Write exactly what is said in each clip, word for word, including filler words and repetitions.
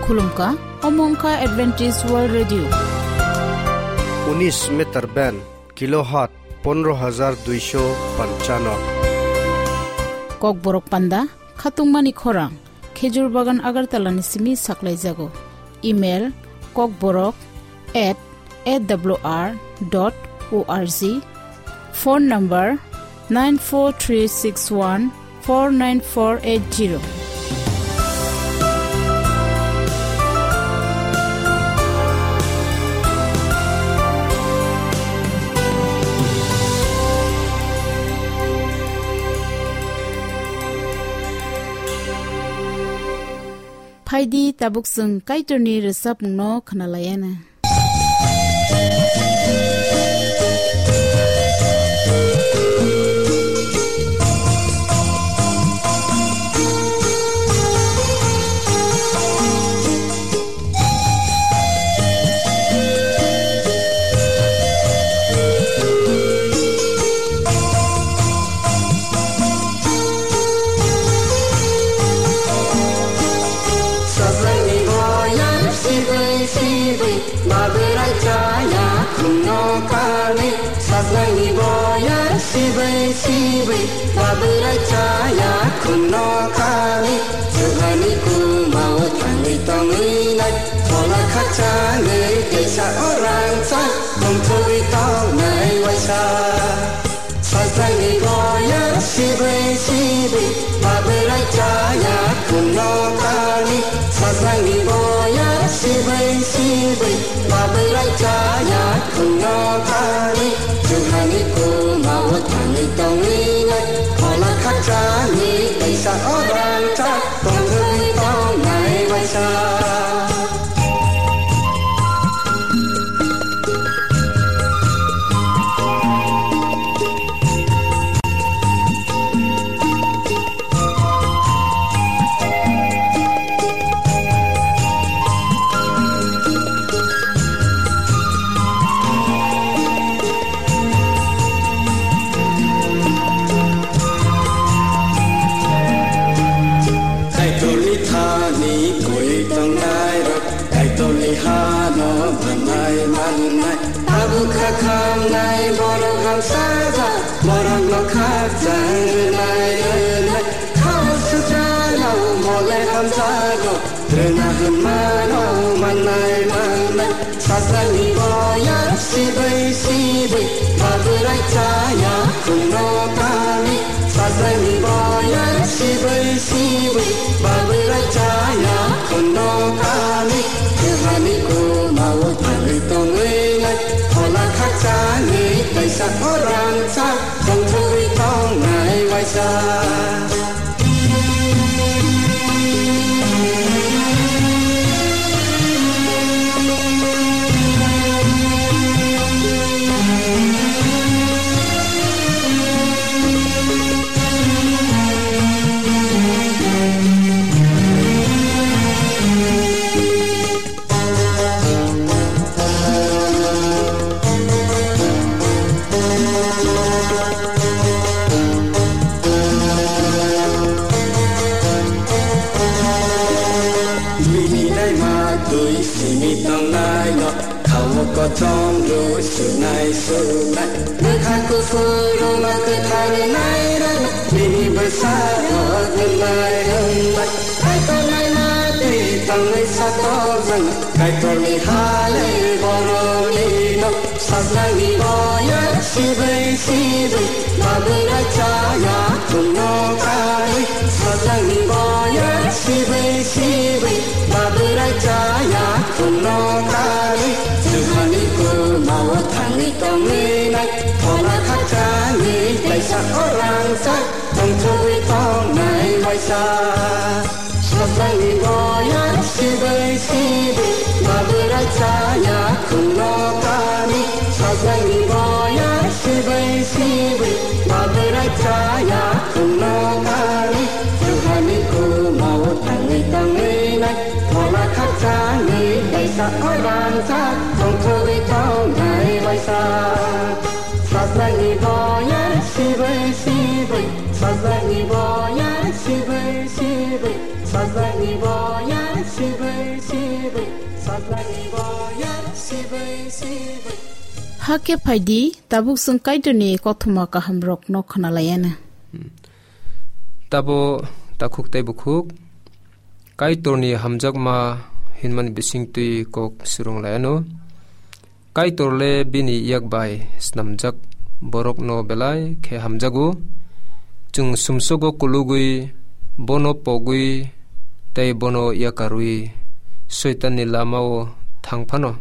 Khulumkha, omo wngkha Adventist World Radio. Unis meter band, kilohertz pondro hajar duisho panchano. Kokborok panda, khatungmani khorang, Khejur Bagan Agartala ni simi saklaijago. Email, kokborok at A W R dot O R G. Phone number, nine four three six one four nine four eight zero. Phaidi, tabuk chwng Kaitorni rwchapmungno khwnalaiana. Sajlangni boyar sibwi sibwi, babwrai chaya khumno kali. Sajlangni boyar sibwi sibwi, babwrai chaya khumno kali. Juhani kumao thangwi tongwi nai, phola khakchangwi teisa o rangchak tongthogwi tongnai waisa. Sajlangni boyar sibwi sibwi, babwrai chaya khumno kali. Sajlangni boyar sibwi sibwi, babwrai chaya khumno kali. Juhani kumao thangwi tongwi nai, phola khakchangwi teisa o rangchak tongthogwi tongnai waisa. Kaitorni thani koi tongnai rok, Kaitorni hano manai manai. Tabuk kha khamnai borok hamsajak, borokno khakchang rwnai rwnai. Khao suchano mole hamjago, rwna hwnmano manai manai. Sajlangni boyar sibwi sibwi, babwrai chaya khumno kali. Sajlangni boyar sibwi sibwi, babwrai chaya khumno kali. Juhani kumao thangwi tongwi nai, phola khakchangwi teisa o rangchak tongthogwi tongnai waisa. Bini naima twi simi tongnai no, khao kochom rw sunai sunai. Bwkha kuphur rwma kwthar nai rwna, bini bwsa rok hwnlai hwnlai. Kaitor naima twi tongwi satok jwng, Kaitorni hale borokni nok. Sajlangni boyar sibwi sibwi, babwrai chaya khumno kali. Sajlangni boyar sibwi sibwi, babwrai chaya khumno kali. Juhani kumao thangwi tongwi nai, phola khakchangwi teisa o rangchak tongthogwi tongnai waisa. Sajlangni boyar sibwi sibwi, babwrai chaya khumno kali. Sajlangni boyar sibwi sibwi, babwrai chaya khumno kali. Juhani kumao thangwi tongwi nai, phola khakchangwi teisa o rangchak tongthogwi tongnai waisa. Sajlangni boyar sibwi sibwi, sajlangni boyar sibwi sibwi, sajlangni boyar sibwi sibwi. Hakhe phaidi, tabuk chwng Kaitorni kothoma kahamrokno khwnalaianw. Tabo takhuk tei bukhuk, Kaitorni hamjakma hinmani bisingtwi kok swrwng laianw. Kaitor le bini yak bai snamjak borokno belai khe hamjago. Chwng sumsogo kulugwi, bono pogwi tei bono yakarwi Soitanni lamao thang phano,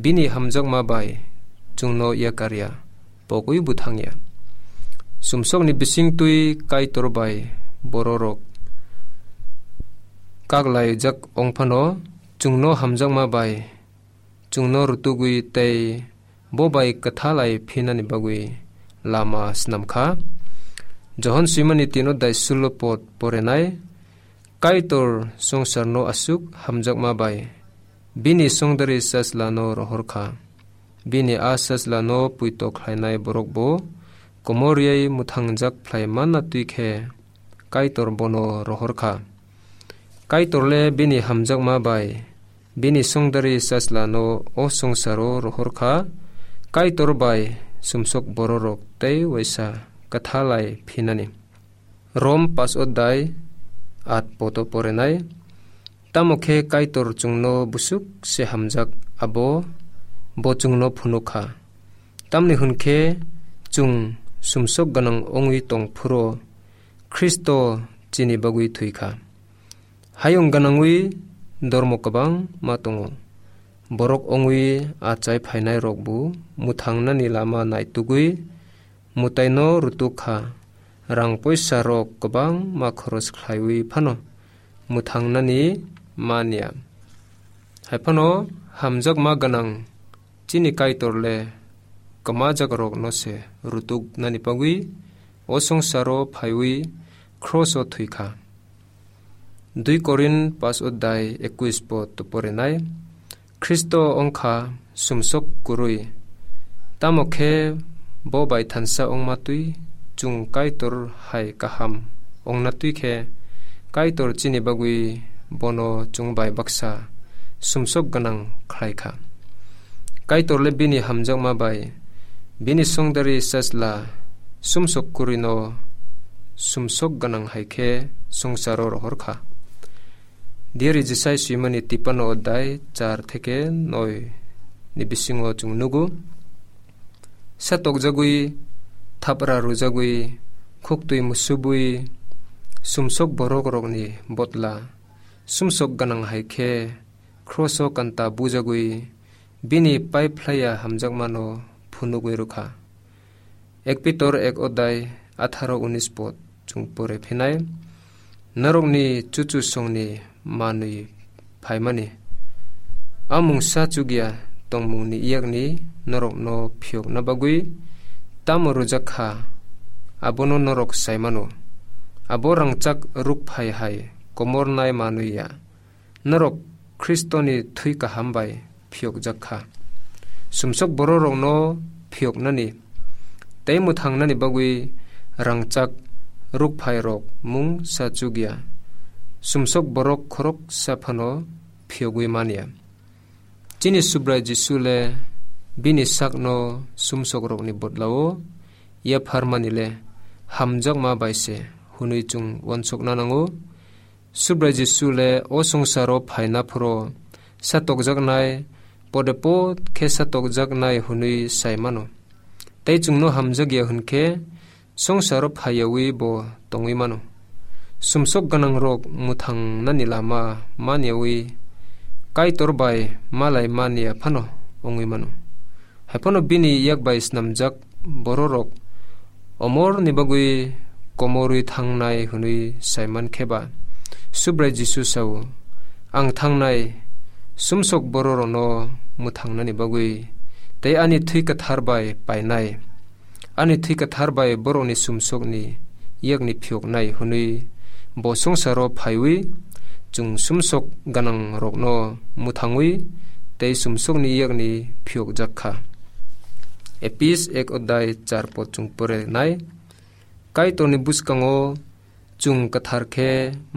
bini hamjakma bai chwngno yakar ya, pogwi bo thang ya. Sumsokni bisingtwi Kaitor bai bororok kaklaijak wng phano, chwngno hamjakma bai chwngno rutugwi tei bo bai kwthalai phinani bagwi lama snam kha. Johon swimani tino dai sulo pod porenai, Kaitor songsarno aswk hamjakma bai bini songdari Sajlano rohor kha. Bini a Sajlano puito khlainai borok bo komor rwui mwthangjak phlai manna twi khe Kaitor bono rohor kha. Kaitor le bini hamjakma bai bini songdari Sajlano o songsaro rohor kha, Kaitor bai sumsok bororok tei waisa kwthalai phinani. Rom pas odai at poto porenai. Tamo khe Kaitor chwngno busuk se hamjak, abo bo chwngno phunuk kha. Tamni hwn khe chwng sumsok gwnang wngwi tong phuro Khristo chini bagwi thwi kha. Hayung gwnangwi dormo kwbangma tongo. Borok wngwi achai phainairokbo mwthangnani lama naitugwi mwtaino rutuk kha, rang poisa rok kwbangma khoros khlaiwi phano mwthangnani man ya. Hai phano hamjakma gwnang chini Kaitor le kwmajak rokno se rutuk nani bagwi o songsaro phaiwi khroso thwi kha. Dui Korin pas odai ekwis po to porenai. Khristo wngkha sumsok kwrwi. Tamo khe bo bai thansa wngma twi chwng Kaitor hai kaham wngna twi khe Kaitor chini bagwi bono chwng bai baksa sumsok gwnang khlai kha. Kaitor le bini hamjakma bai bini songdari Sajla sumsok kwrwino sumsok gwnang hai khe swngcharo rohor kha. Diari Jisai swimani tipano odai char theke noi ni bisingo chwng nugo. Satokjagwi, thapra rwjagwi, khuktwi musubwi, sumsok borok rokni botla, sumsok gwnang hai khe, khroso kanta bujagwi, bini pai phlaiya hamjakmano phunugwi rwkha. Ek Pitor ek odai atharo unis pod chwng pore phinai, norokni chuchu songni manwi phaimani. A mungsa chukya tongmungni yakni norokno phiyokna bagwi tamo rwjak kha, abono norok sai mano. Abo rangchak rukphai hai komornai manwi ya. Norok Khristoni thwi kaham bai phiyokjak kha. Sumsok bororokno phiyoknani tei mwthangnani bagwi rangchak rukphairok mungsa chukya. Sumsok borok khoroksa phano phiyogwi man ya. Chini Subrai Jisu le bini sakno sumsokrokni bodlao yapharmani le hamjakma bai se hwnwi chwng uansukna nango. Subrai Jisu le o swngcharo phaina phuro satokjaknai, pode pod khe satokjaknai hwnwi sai mano. Tei chwngno hamjakya hwn khe swngcharo phaiyaui bo tongwi mano. Sumsok gwnangrok mwthangnani lama man yaui Kaitor bai malai man ya phano wngwi mano. Hai phano bini yak bai snamjak bororok omorni bagwi komorwi thangnai hwnwi sai man khe ba, Subrai Jisu sao, "Ang thangnai sumsok bororokno mwthangnani bagwi tei ani thwi kwthar bai painai." Ani thwi kwthar bai borokni sumsokni yakni phiyoknai hwnwi bo swngcharo phaiwi chwng sumsok gwnangrokno mwthangwi tei sumsokni yakni phiyokjak kha. Epis ek odai char pod chwng pore nai. Kaitorni bwskango chwng kwthar khe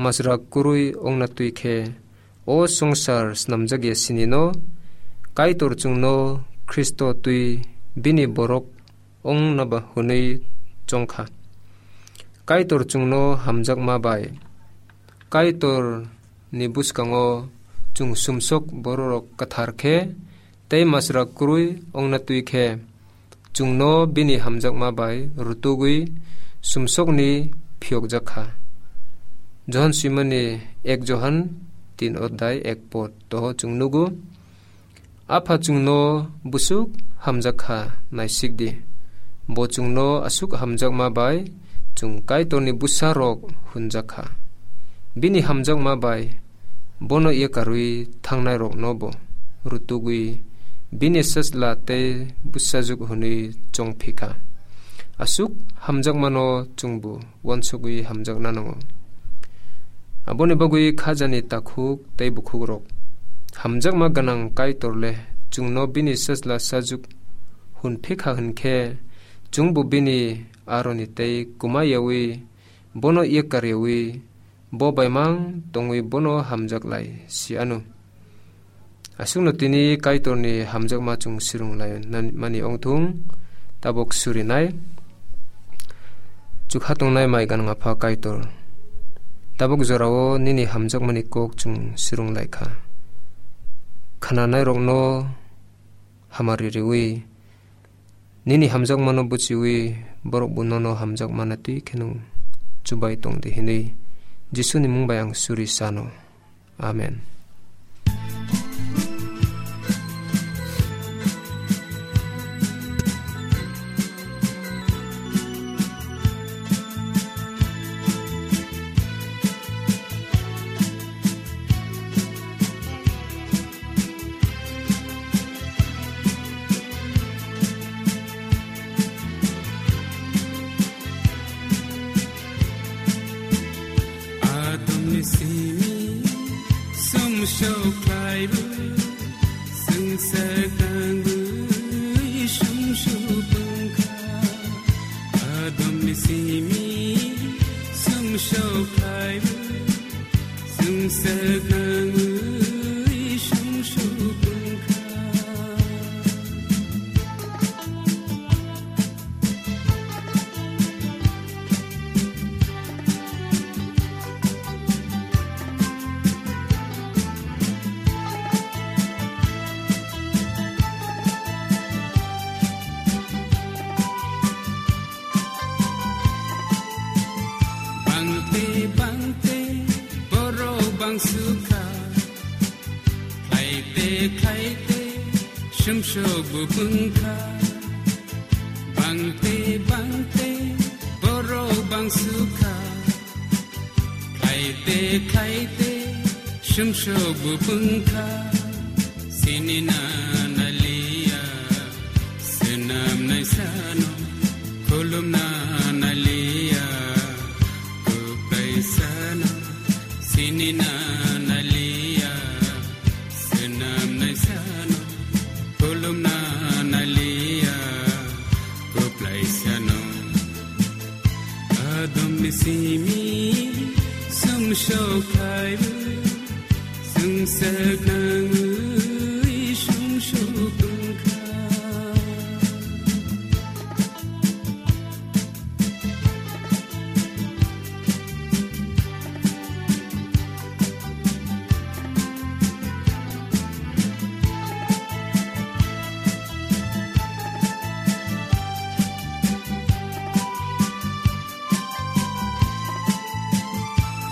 majra kwrwi wngna twi khe O swngchar snamjak ya sini no, Kaitor chwngno Khristo twi bini borok ongna ba hwnwi chongkha. Kaitor chwngno hamjakma bai Kaitor ni bwskango chwng sumsok bororok kwthar khe tei masra kwrwi ongna twi khe, chwngno bini hamjakma bai rutugwi sumsokni phiyokjak kha. Johon swimani ek Johon tin odhyay ek pod toho chwng nugo, Apha chwngno bwswk hamjak kha, naisik di. Bo chwngno aswk hamjakma bai chwng Kaitorni bwsarok hwnjak kha. Bini hamjakma bai bono yakarwi thangnairokno bo rutugwi bini swchla tei bwsajwk hwnwi chongphi kha. Aswk hamjakmano chwngbo uansugwi hamjakna nango. Aboni bagwi khajani takhuk tei bukhukrok, hamjakma gwnang Kaitor le chwngno bini swchla sajwk hwnphi kha hwn khe, chwngbo bini aroni tei kwma yaui, bono yakar yaui, bo baimang tongwi bono hamjak lai si anw. Aswkno tini Kaitorni hamjakma chwng swrwng lai mani ongthung, tabuk surinai. Chukha tongnai mai gwnang Apha Kaitor, tabuk jorao nini hamjakmani kok chwng swrwng lai kha. Khnanairokno hamari riwi, nini hamjakmano buchiwi, borok bo nono hamjakmana twi kheno chubai tong di hinwi Jisuni mung bai ang suri sano. Amen. Atomni simi sumsok khlaibu, swngchar tangwi sumsok wngkha. Atomni simi sumsok khlaibu, swngchar tangwi sumsok wngkha. Bangte bangte borok bangsukha, khlaite khlaite sumsok bo wngkha. Bangte bangte borok bangsukha, khlaite khlaite sumsok bo wngkha. Sinina naliya swnamnai sano, khulumna naliya kwplai sano. Sinina naliya swnamnai sano, khulumna naliya kwplai sano. Adomni simi sumsok khlaibu, swngchar nangwi sumsok wngkha.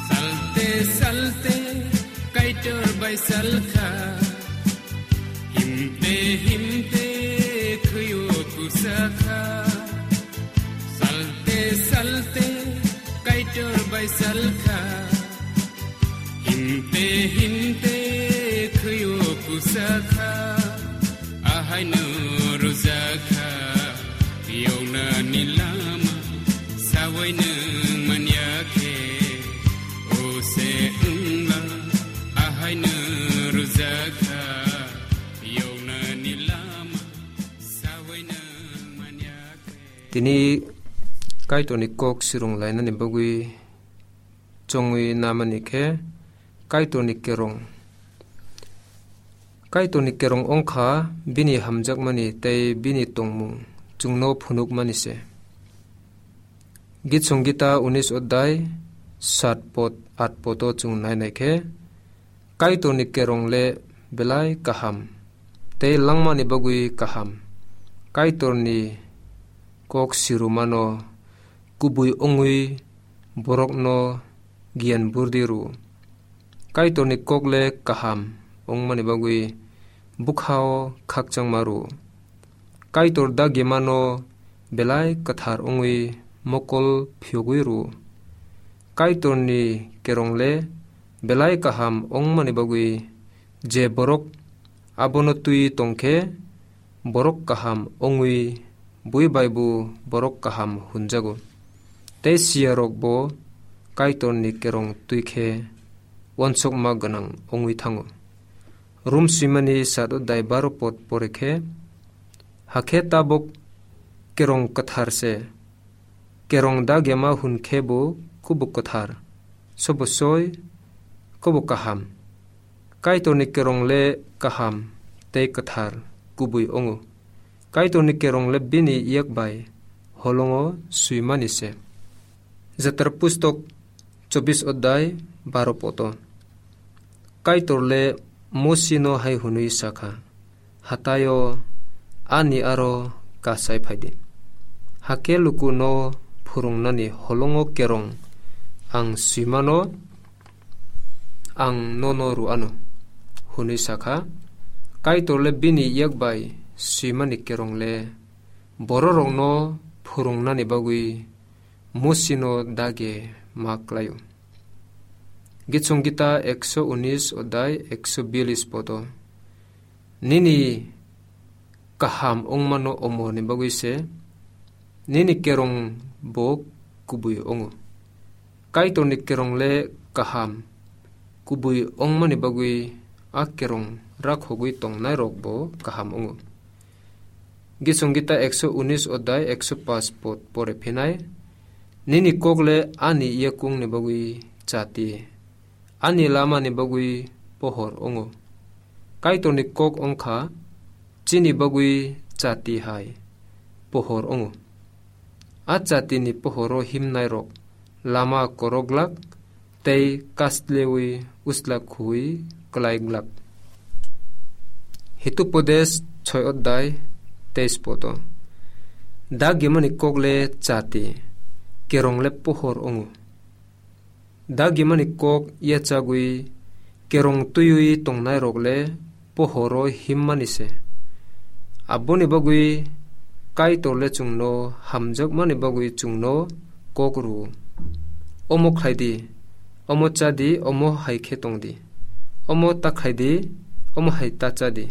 Salte salte Kaitor bai salkha, himte himte khwio kusakha. Salte salte Kaitor bai salkha, himte himte khwio kusakha. Ahaino rwjakha yoknani lama, sawi nwng manya khe, o se wngla. Ahaino rwjakha yoknani lama, sawi nwng manya khe. Tini Kaitorni kok swrwng lainani bagwi chongwi namani khe Kaitorni kerong Kaitorni kerong wngkha bini hamjakmani tei bini tongmung chwngno phunukmani se. Git Songita unis odai sat pot, at poto chwng nainai khe, Kaitorni kerong le belai kaham, tei langmani bagwi kaham. Kaitorni kok sirumano kubui wngwi borokno giyan burdi rw. Kaitorni kok le kaham wngmani bagwi bwkhao khakchangma rw. Kaitor dagimano belai kwthar wngwi mokol phiyogwi rw. Kaitorni kerong le belai kaham wngmani bagwi je borok abono twi tongkhe, borok kaham wngwi bui bai bo borok kaham hwnjago. Tei siyarok bo Kaitorni kerong twi khe uansukma gwnang wngwi thango. Rom swimani sat odai baro pot pore khe, hakhe tabuk kerong kwthar se. Kerong dagema hwn khe bo kubuk kwthar, sobo soi, kubuk kaham. Kaitorni kerong le kaham tei kwthar kubui wngo. Kaitorni kerong le bini yak bai holongo swimani se. Jatra pustok chobis odai baro poto. Kaitor le Mosino hai hwnwi sakha, "Hataio ani aro kasai phaidi. Hakhe lukuno phwrwngnani holongo kerong ang swimano ang nono rw anw," hwnwi sakha. Kaitor le bini yak bai swimani kerong le bororokno phwrwngnani bagwi Mosino dage ma klaio. Git Songita ekso unis odai ekso bialis poto. Nini kaham wngmano omorni bagwi se, nini kerong bo kubui wngo. Kaitorni kerong le kaham kubui wngmani bagwi a kerong rakhogwi tongnairok bo kaham wngo. Git Songita ekso unis odai ekso pas pot pore phinai, "Nini kok le ani yakungni bagwi chati, ani lamani bagwi pohor wngo." Kaitorni kok wngkha chini bagwi chati hai pohor wngo. A chatini pohoro himnairok lama koroglak tei kaslewi usla khui klai glak. Hitupodes choi odai teis poto. Dagimani kok le chati, kerong le pohor wngo. Dagimani kok yachagwi kerong twiwi tongnairok le pohoro himmani se. Aboni bagwi Kaitor le chwngno hamjakmani bagwi chwngno kok rw-o. Omo khlai di, omo cha di, omo hai khe tong di, omo ta khlai di, omo hai ta cha di,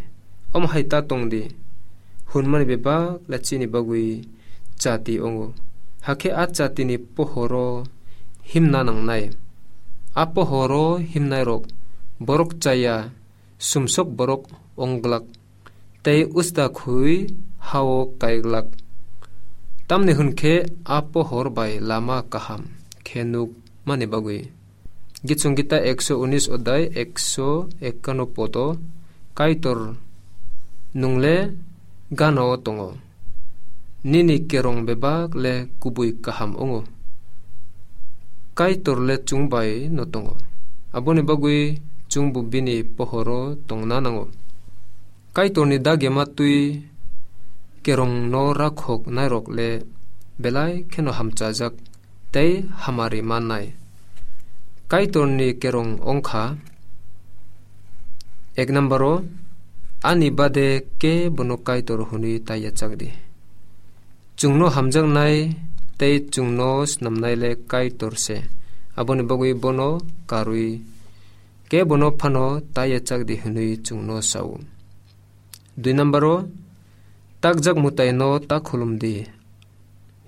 omo hai ta tong di, hwnmani bebak le chini bagwi chati wngo. Hakhe a chatini pohoro himna nangnai. A pohoro himnairok borok chaya sumsok borok ong glak, tei usta khui ha-o kai glak. Tamni hwn khe a pohor bai lama kaham khe nuk mani bagwi. Git Songita ekso unis odai ekso ekkano poto, Kaitor, nwng le gana-o tongo. Nini kerong bebak le kubui kaham wngo. Kaitor le chwng bai no tongo. Aboni bagwi chwngbo bini pohoro tongna nango. Kaitorni dagema twi kerongno rakhok nairok le belai kheno hamchajak tei hamari mannai. Kaitorni kerong wngkha, ek number-o, ani bade kebono Kaitor hwnwi ta yachak di. Chwngno hamjaknai tei chwngno snamnai le Kaitor se. Aboni bagwi bono karwi kebono phano ta yachak di hwnwi chwngno sa-o. Dui number-o, takjak mwtaino ta khulum di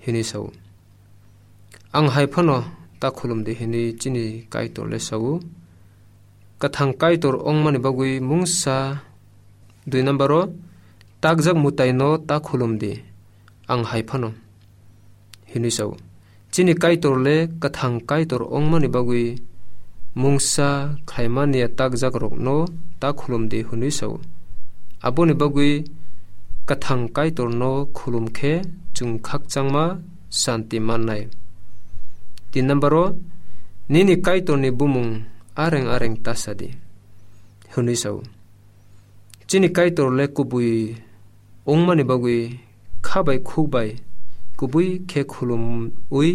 hwnwi sa-o. Ang hai phano ta khulum di hwnwi chini Kaitor le sa-o. Kwthang Kaitor wngmani bagwi mungsa. Dui number-o, takjak mwtaino ta khulum di, ang hai phano, hwnwi sa-o. Chini Kaitor le kwthang Kaitor wngmani bagwi mungsa khlaimani ya takjakrokno ta khulum di hwnwi sa-o. Aboni bagwi kwthang Kaitorno khulum khe chwng khakchangma santi mannai. Tin number o, nini Kaitorni bumung areng areng ta sa di, hwnwi sa-o. Chini Kaitor le kubui wngmani bagwi kha bai khuk bai kubui khe khulumwi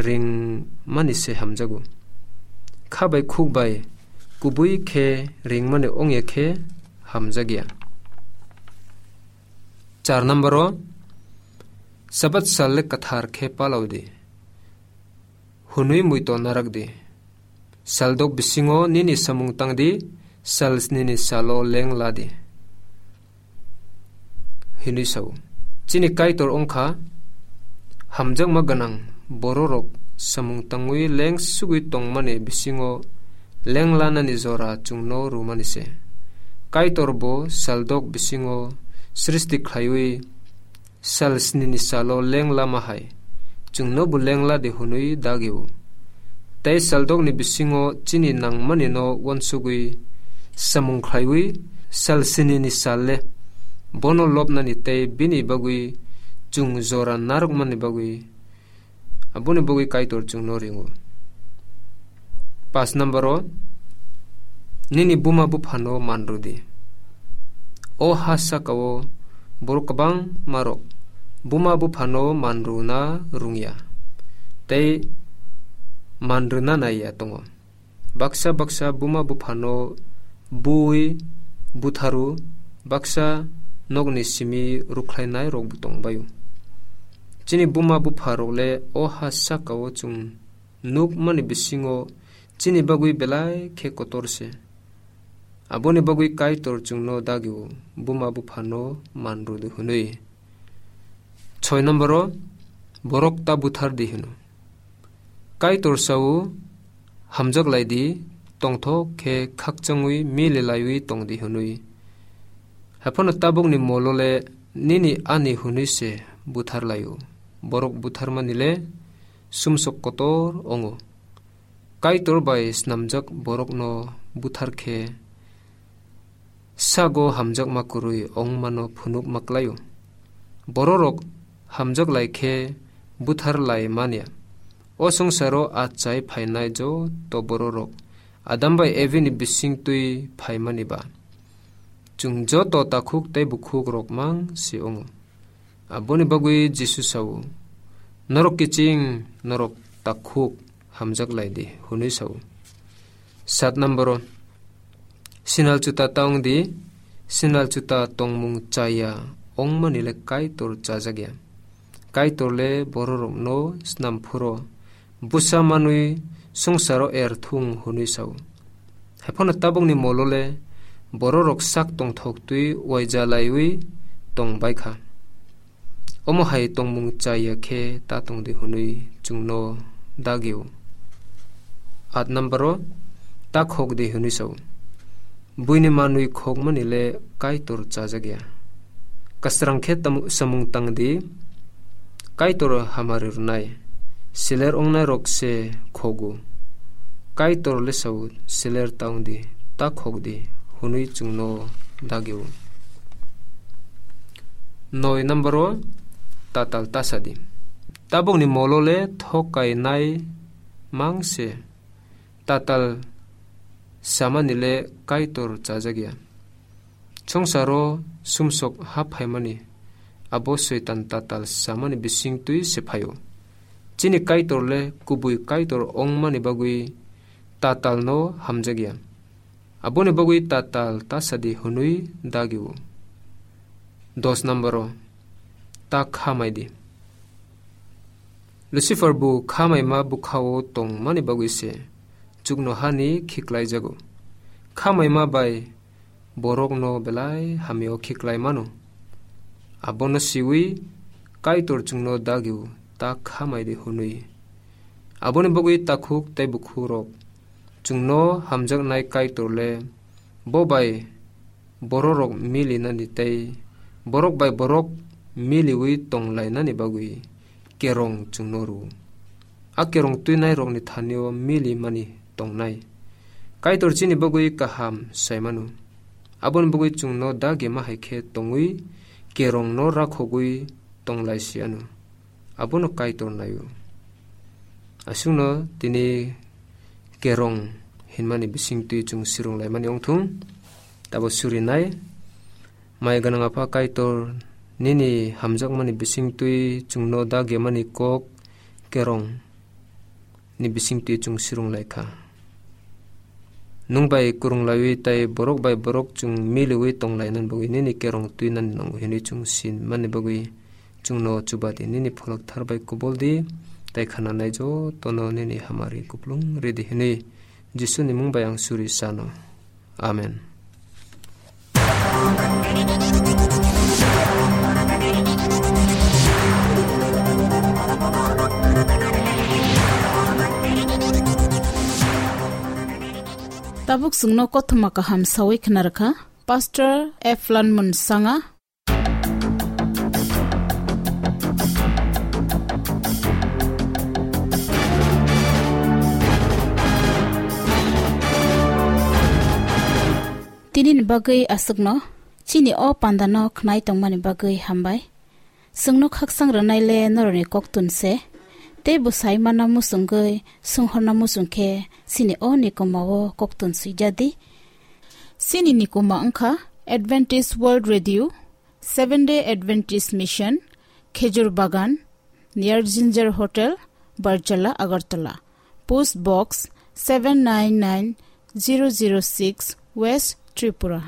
ringmani se hamjago. Kha bai khuk bai kubui khe ringmani wngya khe hamjakya. Char number o, Sabat sal le kwthar khe palao di, hwnwi muito narak di. Saldok bisingo nini samung tang di, sal snini salo leng la di, hwnwi sa-o. Chini Kaitor wngkha hamjakma gwnang bororok samung tangwi leng sugwi tongmani bisingo leng lanani jora chwngno rwmani se. Kaitor bo saldok bisingo srishti khlaiwi sal snini salo leng lama hai chwngno bo leng la di hwnwi dagi-o. Tei saldokni bisingo chini nangmanino uansugwi samung khlaiwi sal snini sal le bono lobnani tei bini bagwi chwng jora narwkmani bagwi, aboni bagwi Kaitor chwngno ringo. Paanch number o, nini buma buphano manrw di. O ha saka-o borok kwbangma rok buma buphano manrwna rwngya tei manrwna naiya tongo. Baksa baksa buma buphano bui butharu, baksa nokni simi rwkhlainai rokbo tongbaio. Chini buma bupha rok le o ha saka-o chwng nukmani bisingo chini bagwi belai khe kotor se. Aboni bagwi Kaitor chwngno dagi-o, buma buphano manrw di hwnwi. Soi number o, borok ta buthar di hwno. Kaitor sa-o, hamjak lai di, tongthok khe khakchangwi mili laiwi tong di hwnwi. Haiphano tabukni molo le nini ani hwnwi se buthar lai-o. Borok butharmani le sumsok kotor wngo. Kaitor bai snamjak borokno buthar khe sago hamjakma kwrwi wngmano phunukma klai-o. Bororok hamjak lai khe buthar lai manya. O swngcharo achai phainai joto bororok Adam bai Evi ni bising twi phaimani ba. Chwng joto takhuk tei bukhuk rok mang se wngo. Aboni bagwi Jisu sa-o, "Norok kiching, norok takhuk, hamjak lai di," hwnwi sa-o. Sat number o, sinal chuta ta wng di, sinal chuta tongmung chaya wngmani le Kaitor chajakya. Kaitor le bororokno snam phuro bwsa manwi swngcharo er thung hwnwi sa-o. Haiphano tabukni molo le bororok sak tongthok twi uaija laiwi tong bai kha. Omo hai tongmung chaya khe ta tong di hwnwi chwngno dagi-o. At number o, ta khok di hwnwi sa-o. Buini manwi khokmani le Kaitor chajakya. Kasrang khe tamu-, samung tang di, Kaitor hamari rwnai. Siler wngnai rok se khogo. Kaitor le sa-o, "Siler ta wng di, ta khok di," hwnwi chwngno dagi-o. Noi number o, tatal ta sa di. Tabukni molo le thokainai mang se. Tatal samani le Kaitor chajakya. Swngcharo sumsok hap phaimani abo Soitan tatal samani bising twi se phaio. Chini Kaitor le kubui Kaitor wngmani bagwi tatalno hamjakya. Aboni bagwi tatal ta sa di hwnwi dagi-o. Dos number o, ta kha mai di. Lucifer bo kha maima bwkha-o tongmani bagwi se chuknohani khiklaijago. Kha maima bai borokno belai hamya-o khiklai mano. Abono siwi Kaitor chwngno dagi-o, ta kha mai di hwnwi. Aboni bagwi takhuk tei bukhukrok chwngno hamjaknai Kaitor le bo bai bororok milinani tei borok bai borok miliwi tonglainani bagwi kerong chwngno rw-o. A kerong twinairokni thani-o milimani tongnai. Kaitor chini bagwi kaham sai mano. Aboni bagwi chwngno dagi ma hai khe tongwi kerongno rakhogwi tong lai si anw. Abono Kaitor nai-o. Aswkno tini kerong hinmani bisingtwi chwng swrwng laimani wng thung. Tabo surinai, mai gwnang Apha Kaitor, nini hamjakmani bisingtwi chwngno dagyamani kok kerong ni bisingtwi chwng swrwng lai kha. Nwng bai kwrwng laiwi tei borok bai borok chwng miliwi tong lainani bagwi nini kerong twi nani nango hwnwi chwng sinmani bagwi chwngno chuba di, nini pholok thar bai kubul di, tei khnanai jotono nini hamari kuplung ridi hwnwi Jisuni mung bai ang suri sano. Amen. Tabuk chwngno kothoma kaham sawi khwnarwkha Pastor F Lanmun Sanga. Tini ni bagwi aswkno, chini o panda no khnai tongmani bagwi hambai. Chwngno khaksang rwnai le norokni koktun se, tei bwsai mana muchungwi swnghorna muchung khe chini o nikoma o koktun swijadi. Chini nikoma wngkha Adventist World Radio, Seventh Day Adventist Mission, Khejur Bagan, near Ginger Hotel, Barjala, Agartala. Post Box seven nine nine zero zero six, West Tripura.